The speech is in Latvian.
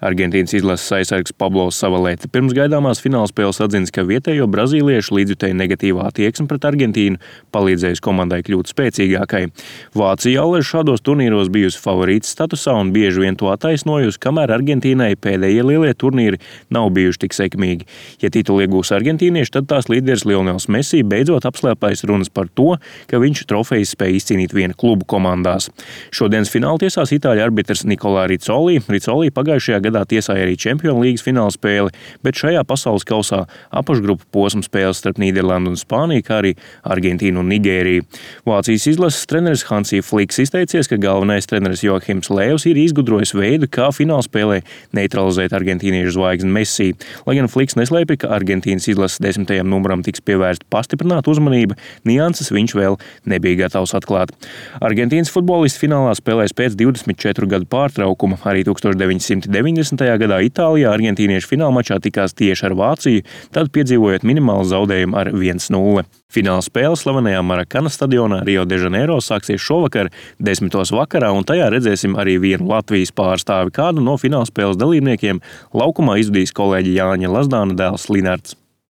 Argentīnas izlases aizsargs Pablo Zavaleta pirms gaidāmās finālspēles atzins, ka vietējo brazīliešu līdzjutēju negatīvā attieksme pret Argentīnu palīdzējusi komandai kļūt spēcīgākai. Vācija allaž šādos turnīros bijusi favorītas statusā un bieži vien to attaisnojusi, kamēr Argentīnai pēdējie lielie turnīri nav bijuši tik sekmīgi. Ja titulu iegūs argentīnieši, tad tās līderis Lionels Messi beidzot apslēpais runas par to, ka viņš trofejas spēja izcīnīt viena klubu komandās. Šodienas fināla tiesās itāļu arbitrs Nikolā Ricoli pagājušajā gadā tiesāja arī Čempionu līgas fināla spēli, bet šajā pasaules kausā apakšgrupu posma spēles starp Nīderlandu un Spāniju, kā arī Argentīnu un Nigēriju. Vācijas izlases treneris Hansi Fliks izteicies, ka galvenais treneris Joachims Lēvs ir izgudrojis veidu, kā fināla spēlē neutralizēt argentīniešu zvaigzni Messi. Lai gan Fliks neslēpja, ka Argentīnas izlases 10. numuram tiks pievērsta pastiprināta uzmanība, nianses viņš vēl nebija gatavs atklāt. Argentīnas futbolisti finālā spēlēs pēc 24 gadu pārtraukuma. Arī 1990. gadā Itālijā argentīnieši finālmačā tikās tieši ar Vāciju, tad piedzīvojot minimālu zaudējumu ar 1-0. Fināla spēle slavenajā Marakana stadionā Rio de Janeiro sāksies šovakar 10. vakarā, un tajā redzēsim arī vienu Latvijas pārstāvi. Kādu no fināla spēles dalībniekiem laukumā izvadīs kolēģi Jāņa Lazdāna dēls Linards.